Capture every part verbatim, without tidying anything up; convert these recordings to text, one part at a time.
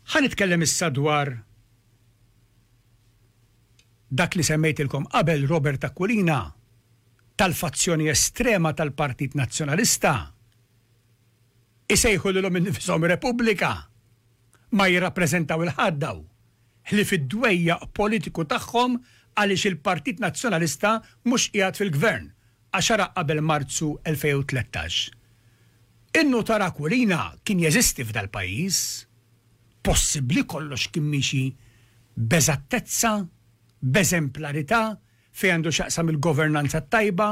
Ħa nitkellem issa dwar dak li semmejtilkom qabel, Robert Aquilina tal-fazzjoni estrema tal-Partit Nazzjonalista, isejħu lilhom innifisom Repubblika, ma jirrappreżentaw 'il ħadd daw ħlief id-dwejjaq politiku tagħhom għaliex il-Partit Nazzjonalista mhux qiegħed fil-gvern għaxara qabel Marzu elfejn u tlettax. In-nutar Aquilina kien jeżisti f'dal-pajjiż, possibbli kollox kien miexi b'eżattezza, b'eżemplarità fejn għandu x'jaqsam il-governanza tajba,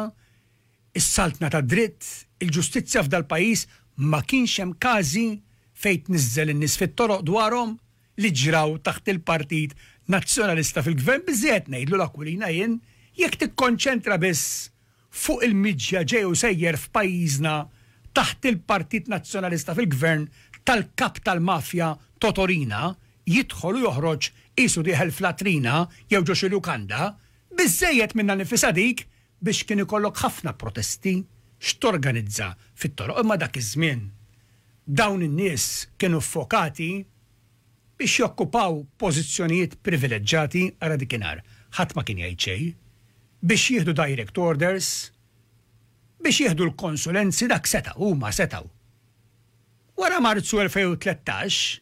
is-saltna ta' dritt, il-ġustizzja f'dal-pajjiż, ma kienx hemm każi fejn tniżżel in-nies fit-toroq dwarhom li ġraw taħt il-Partit Nazzjonalista fil-gvern. Biżżejjed ngħidlu l-Aquilina jien, jekk tikkonċentra biss fuq il-miġja ġej u sejjer f'pajjiżna taħt il-Partit Nazzjonalista fil-gvern tal-kap tal-mafja Totò Riina, jidħol u joħroġ qisu dieħel f'latrina jew ġo xi lukanda, biżżejjed minnha nfisha dik biex kien ikollok ħafna protesti x'torganizza fit-toroq. Imma dak iż-żmien dawn in-nies kienu fokati biex jokkupaw pożizzjonijiet privileġġati, ara dikinhar ħadd ma kien jgħid xejn, biex jieħdu direct orders, biex jieħdu l-konsulenzi, dak setaw, huma setaw. Wara Marzu elfejn u tlettax,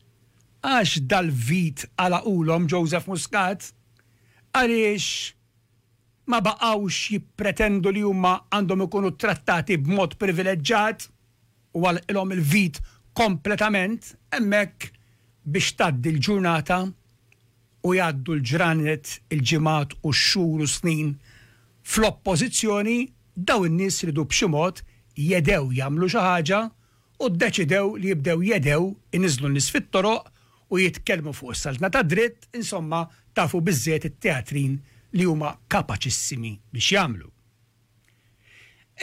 għax dal-vit għalaqulhom Joseph Muscat, għaliex ma baqawx jippretendu li huma għandhom ikunu trattati b'mod privileġġat u għalqilhom il-vit kompletament, hemmhekk biex tgħaddi l-ġurnata u jgħaddu l-ġranet, il-ġimgħat u x-xhur u snin fl-oppożizzjoni, daw in-nies ridu b'xi mod jedew jagħmlu xi ħaġa u ddeċidew li jibdew jedew iniżlu n-nies fit-toroq u jitkellmu fuq is-saltna ta' dritt, insomma, tafu biżżejjed it-teatrin li huma kapaċissimi biex jagħmlu.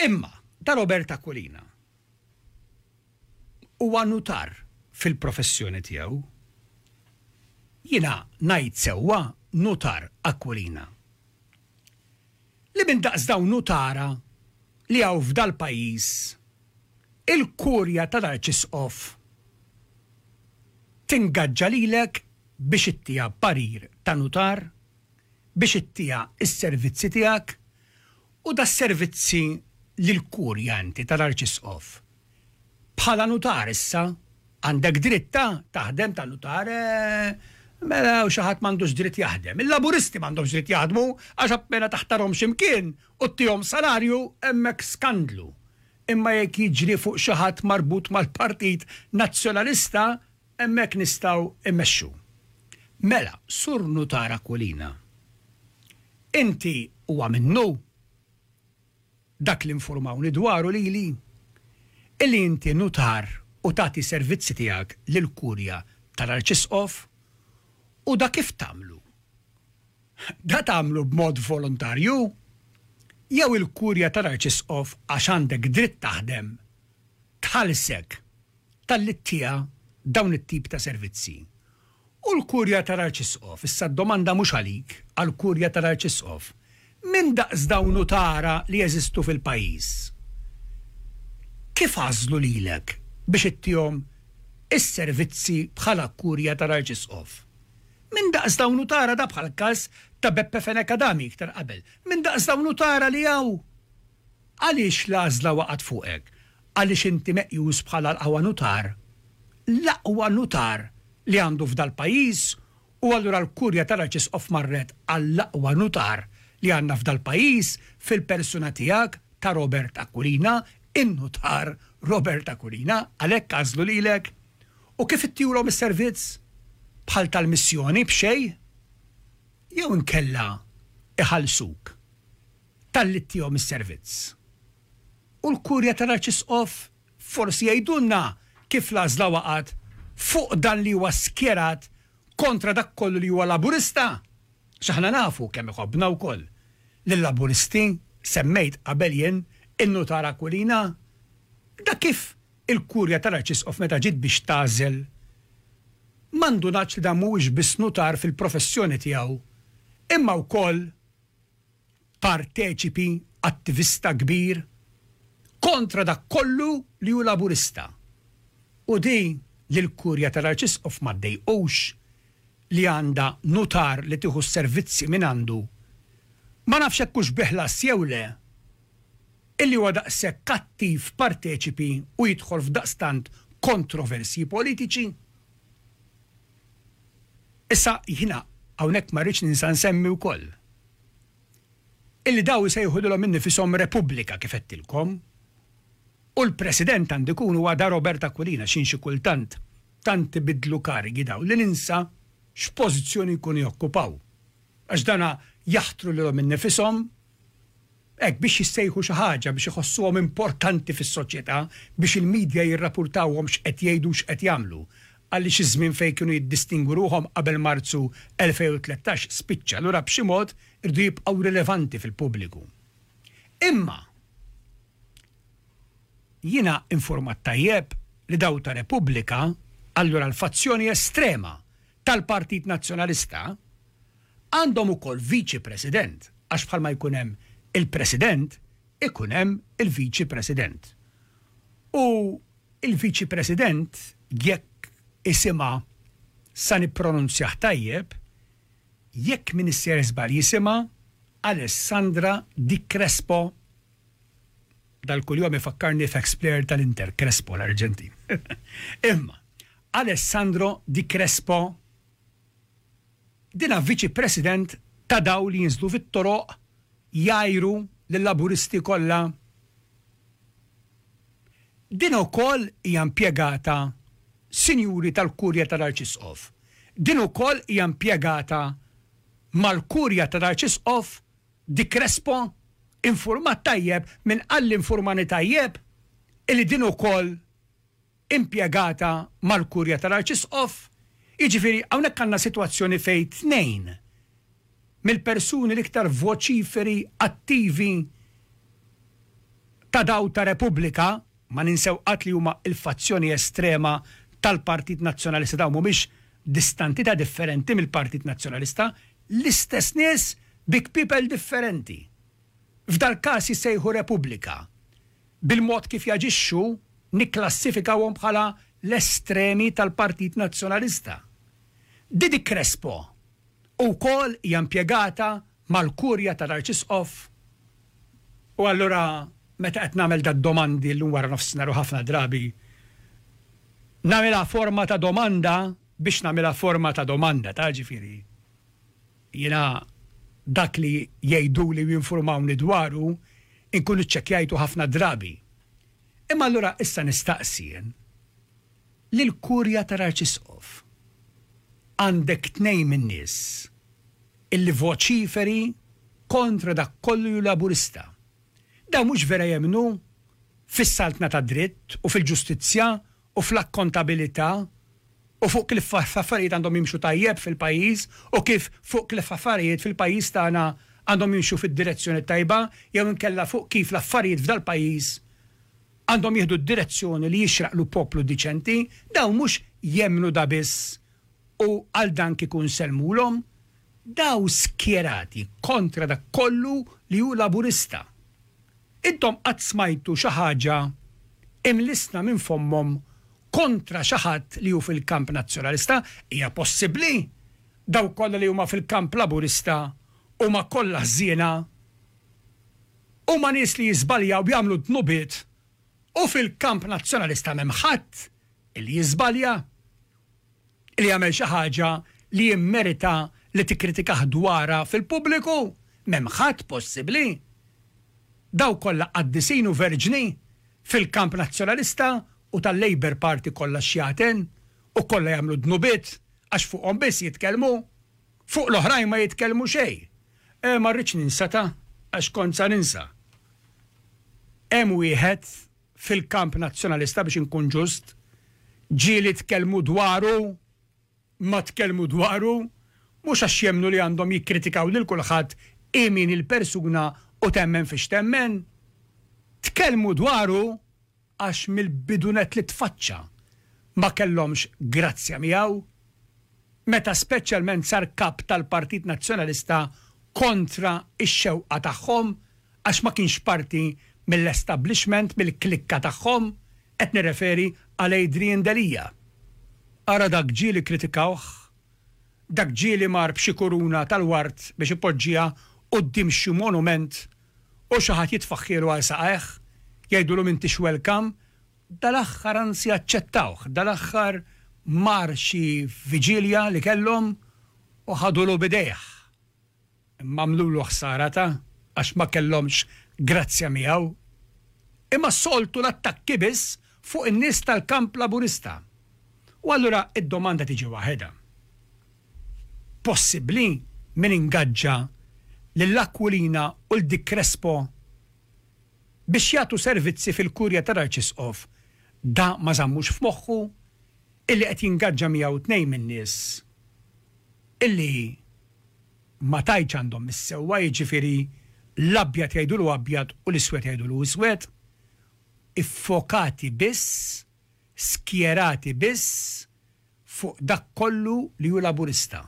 Imma ta' Robert Aquilina huwa nutar fil-professjoni tiegħu. Jiena ngħid sewwa, nutar Aquilina? Li minn daqs dawn nutara li hawn f'dal pajjiż, il-kurja tal-Arċisqof tingaġġa lilek biex ittiha parir ta' nutar, biex ittiha is-servizzi tiegħek, u da servizzi lil-kurja inti tal-Arċisqof. Bħala nutar issa għandek dritta taħdem ta' nutar, eh, mela u xi ħadd m'għandux dritt jaħdem? Il-Laburisti m'għandhomx dritt jaħdmu għax appena taħtarhom x'imkien u ttihom salarju, hemmhekk skandlu. Imma jekk jiġri fuq xi ħadd marbut mal-Partit Nazzjonalista, hemmhekk nistgħu immexxu. Mela, sur nutar Aquilina, inti huwa minnu dak li informawni dwaru lili illi inti nutar u tagħti servizzi tiegħek lil-kurja tal-Arċisqof, u da kif tagħmlu? Da tagħmlu b'mod volontarju jew il-kurja tal-Arċisqof, għax għandek dritt taħdem, tħallsek talli ttiha dawn it-tip ta' servizzi? U l-kurja tal-Arċisqof, issa d-domanda mhux għalik, għal-kurja tal-Arċisqof, minn daqs dawn nutara li jeżistu fil-pajjiż, kif għażlu lilek biex ittihom is-servizzi bħala kurja tal-Arċisqof? Minn daqs dawn nutara, da bħal każ ta' Beppe Fenech Adami iktar qabel. Minn daqs dawn nutara li hawn, għaliex l-għażla waqgħet fuqek? Għaliex inti meqjus bħala l-aqwa nutar? L-aqwa nutar li għandu f'dal pajjiż, u allura l-kurja tal-Arċisqof marret għall-aqwa nutar li għandna f'dal pajjiż fil-persuna tiegħek ta' Robert Aquilina, in-nutar Robert Aquilina, għalhekk għażlu lilek? U kif ittihulhom is-servizz? Bħal tal-missjoni, b'xejn? Jew inkella iħallsuk talli ttihom is-servizz? U l-kurja tal-Arċisqof forsi jgħidulna kif l-għażla waqgħet fuq dan li huwa skjerat kontra dak kollu li huwa Laburista. X'aħna nafu kemm iħobbna wkoll lill-Laburisti, semmejt qabel jien in-nutar Aquilina. Da kif il-kurja tal-Arċisqof meta ġiet biex tagħżel m'indunatx li dan mhuwiex biss nutar fil-professjoni tiegħu, imma wkoll parteċipi attivista kbir kontra dak kollu li hu Laburista? U di li l-Kurja tal-Arċisqof ma ddejqux li għandha nutar li tieħu s-servizzi minn għandu, ma nafx hekk hux bi ħlas jew le, illi huwa daqshekk kattiv parteċipi u jidħol f'daqstant kontroversji politiċi. Issa jiena hawnhekk ma rridx ninsa nsemmi wkoll illi daw isejħu lilhom innifisom Repubblika kif għedtilkom, u l-President għandu jkun huwa da Robert Aquilina x'in xi kultant tant ibiddlu karigi daw li ninsa x'pożizzjoni jkunu jokkupaw. Għax dana jaħtru lilhom innifisom hekk biex jissejħu xi ħaġa, biex iħossuhom importanti fis-soċjetà, biex il-media jirrapurtawhom x'qed jgħidu u x'qed jagħmlu. Għaliex iż-żmien fejn kienu jiddistingwu ruħhom qabel Marzu elfejn u tlettax spiċċa, allura b'xi mod irdu jibqgħu rilevanti fil-pubbliku. Imma jiena informat tajjeb li daw ta' Repubblika, allura l-fazzjoni estrema tal-Partit Nazzjonalista, għandhom ukoll viċi president, għax bħalma jkun hemm il-president, ikun hemm il-viċi president. U il-viċi president, jekk isimha sa nippronunzjah tajjeb, jekk min issejjer żball jisimha Alessandra Di Crespo. Dal-kuljum ifakkarni f'ex player tal-Inter, Crespo l-Arġentin. Imma Alessandro Di Crespo dina viċi president ta' daw li jinżlu fit-toroq jajru lill-Laburisti kollha. Din ukoll hija impjegata sinjuri tal-Kurja tal-Arċisqof. Din ukoll hija impjegata mal-Kurja tal-Arċisqof Di Crespo, informat tajjeb minn qalli informani tajjeb illi din ukoll impjegata mal-Kurja tal-Arċisqof. Jiġifieri hawnhekk għandna sitwazzjoni fejn tnejn mill-persuni l-iktar voċiferi attivi ta' daw ta' Repubblika, ma ninsew qatt li huma il-fazzjoni estrema tal-Partit Nazzjonalista, daw mhumiex distanti ta' differenti mill-Partit Nazzjonalista, l-istess nies big people differenti. F'dal każ jissejħu Repubblika. Bil-mod kif jaġixxu nikklassifikawhom bħala l-estremi tal-Partit Nazzjonalista. Didi Crespo ukoll hija impjegata mal-Kurja tal-Arċisqof. U allura meta qed nagħmel dad domandi llum wara nofsinhar u ħafna drabi nagħmilha forma ta' domanda biex nagħmilha forma ta' domanda, ta' ġifieri. Jiena dak li jgħiduli u jinformawni dwaru inkun iċċekkjajtu ħafna drabi. Imma allura issa nistaqsi jien lill-Kurja tal-Arċisqof. Għandek tnejn min-nies illi voċiferi kontra dak kollu ju Laburista. Daw mhux vera jemmnu fis-saltna ta' dritt u fil-ġustizzja u fl-akkontabilità u fuq kif affarijiet għandhom jimxu tajjeb fil-pajjiż u kif fuq kif affarijiet fil-pajjiż tagħna għandhom jimxu fid-direzzjoni tajba jew inkella fuq kif l-affarijiet f'dal-pajjiż għandhom jieħdu d-direzzjoni li jixraqlu poplu diċenti. Daw mhux jemmnu da biss u għal dan kieku nsellmulhom, daw skjerati kontra dak kollu li hu Laburista. Intom qatt smajtu xi ħaġa imlisna minn fommhom kontra xi ħadd li hu fil-kamp Nazzjonalista? Hija possibbli daw kollha li huma fil-kamp Laburista huma kollha ħżiena, huma nies li jiżbaljaw jagħmlu dnubiet, u fil-kamp Nazzjonalista m'hemm ħadd li jiżbalja, li jagħmel xi ħaġa li jimmerita li tikkritikah dwarha fil-pubbliku, m'hemm ħadd possibbli. Daw kollha qaddisin u verġni fil-kamp Nazzjonalista u tal-Labour Party kollha xjaten u kollha jagħmlu dnubiet għax fuqhom biss jitkellmu, fuq l-oħrajn ma jitkellmu xejn. E, ma rridx ninsa ta' għax kont sa ninsa. Hemm wieħed fil-kamp Nazzjonalista biex inkun ġust, ġieli tkellmu dwaru, ma tkellmu dwaru, mhux għax jemmnu li għandhom jikkritikaw lil kulħadd imin il-persuna u temmen fiex temmen. Tkellmu dwaru għax mill-bidunet li tfaċċa ma kellhomx grazzja miegħu, meta speċjalment sar kap tal-Partit Nazzjonalista kontra x-xewqa tagħhom għax ma kienx parti mill-establishment, mill-klikka tagħhom, qed nirreferi għal Adrian Delia. Ara dak ġieli kkritikawh, dak ġieli mar b'xi kuruna tal-ward biex ipoġġiha quddiem xi monument u xi ħadd jitfaħħielu għal saqajh, jgħidulu m'intix welcome, dal-aħħar anzi aċċettawh, dal-aħħar mar xi viġilja li kellhom u ħadulu b'idejh. Imma għamlulu ħsara ta' għax ma kellhomx grazzja miegħu. Imma s-soltu l-attakki biss fuq in-nies tal-kamp Laburista. U allura id-domanda tiġi waħedha. Possibbli min ingaġġa lil Aquilina u 'l Dick Crespo biex jagħtu servizzi fil-Kurja tal-Arċisqof da ma żammux f'moħħu illi qed jingaġġa miegħu tnejn min-nies illi ma tgħidx għandhom is-sewwa, jiġifieri l-abjad jgħidulu abjad u l-iswed jgħidulu iswed, iffokati biss, skjerati biss fuq dak kollu li hu Laburista.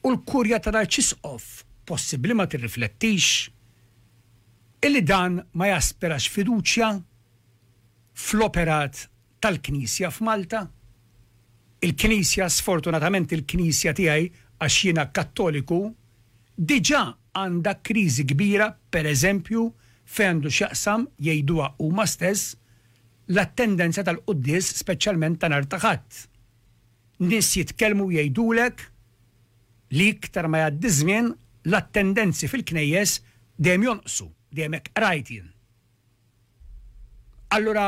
U l-Kurja tal-Arċisqof possibbli ma tirriflettix illi dan ma jaspirax fiduċja fl-operat tal-Knisja f'Malta? Il-Knisja, sfortunatament il-Knisja tiegħi għax jiena Kattoliku, diġà għandha kriżi kbira, pereżempju fejn għandu x'jaqsam, jgħiduha huma stess, l-attendenza tal-quddies speċjalment ta' nhar ta' Ħadd. Nies jitkellmu jgħidulek li iktar ma jgħaddi żmien l-attendenzi fil-knejjes dejjem jonqsu, dejjem hekk qrajt jien. Allura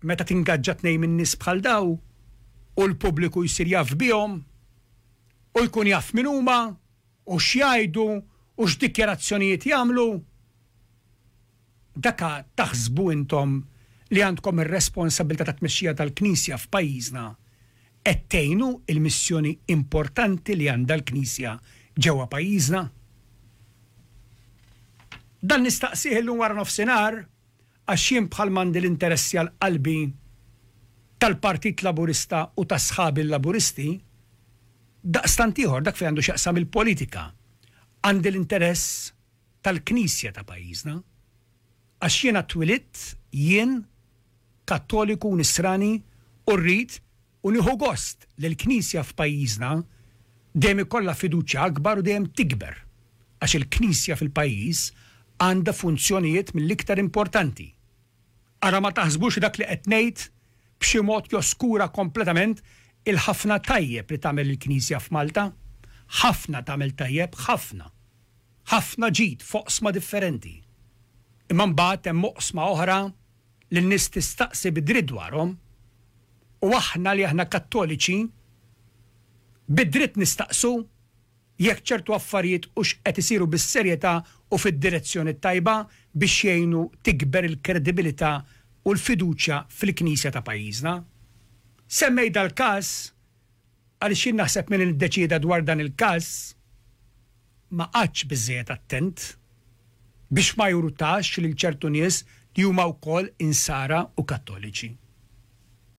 meta tingaġġa tnejn minn nies bħal daw u l-pubbliku jsir jaf bihom u jkun jaf min huma u x'jgħidu u x'dikjarazzjonijiet jagħmlu, daka taħsbu intom li għandkom ir-responsabilità ta' tmexxija tal-Knisja f'pajjiżna qed tgħinu il-missjoni importanti li għandha l-Knisja ġewwa pajjiżna? Dan nistaqsih illum wara nofsinhar għax jien bħal m'għandi l-interessi għal qalbi tal-Partit Laburista u ta' sħabi l-Laburisti, daqstant ieħor dak fejn għandu x'jaqsam il-politika. Għandi l-interess tal-Knisja ta' pajjiżna. Għax jiena twilidt jien Kattoliku Nisrani u rrid u nieħu gost li l-Knisja f'pajjiżna dejjem ikollha fiduċja akbar u dejjem tikber. Għax il-Knisja fil-pajjiż għandha funzjonijiet mill-iktar importanti. Ara ma taħsbux dak li qed ngħid b'xi mod joskura kompletament il-ħafna tajjeb li tagħmel il-Knisja f'Malta. Ħafna tagħmel tajjeb, ħafna. Ħafna ġid f'oqsma differenti. Imma mbagħad hemm oqsma oħra li n-nies tistaqsi bid-dritt dwarhom. U aħna li aħna Kattoliċi bid-dritt nistaqsu jekk ċertu affarijiet hux qed isiru bis-serjetà u fid-direzzjoni t-tajba biex jgħinu tikber il-kredibilità u l-fiduċja fil-Knisja ta' pajjiżna. Semmejt dal-każ għaliex jien naħseb min iddeċieda dwar dan il-każ ma qagħadx biżżejjed attent biex ma jurtax lil ċertu nies li huma wkoll Insara u Kattoliċi.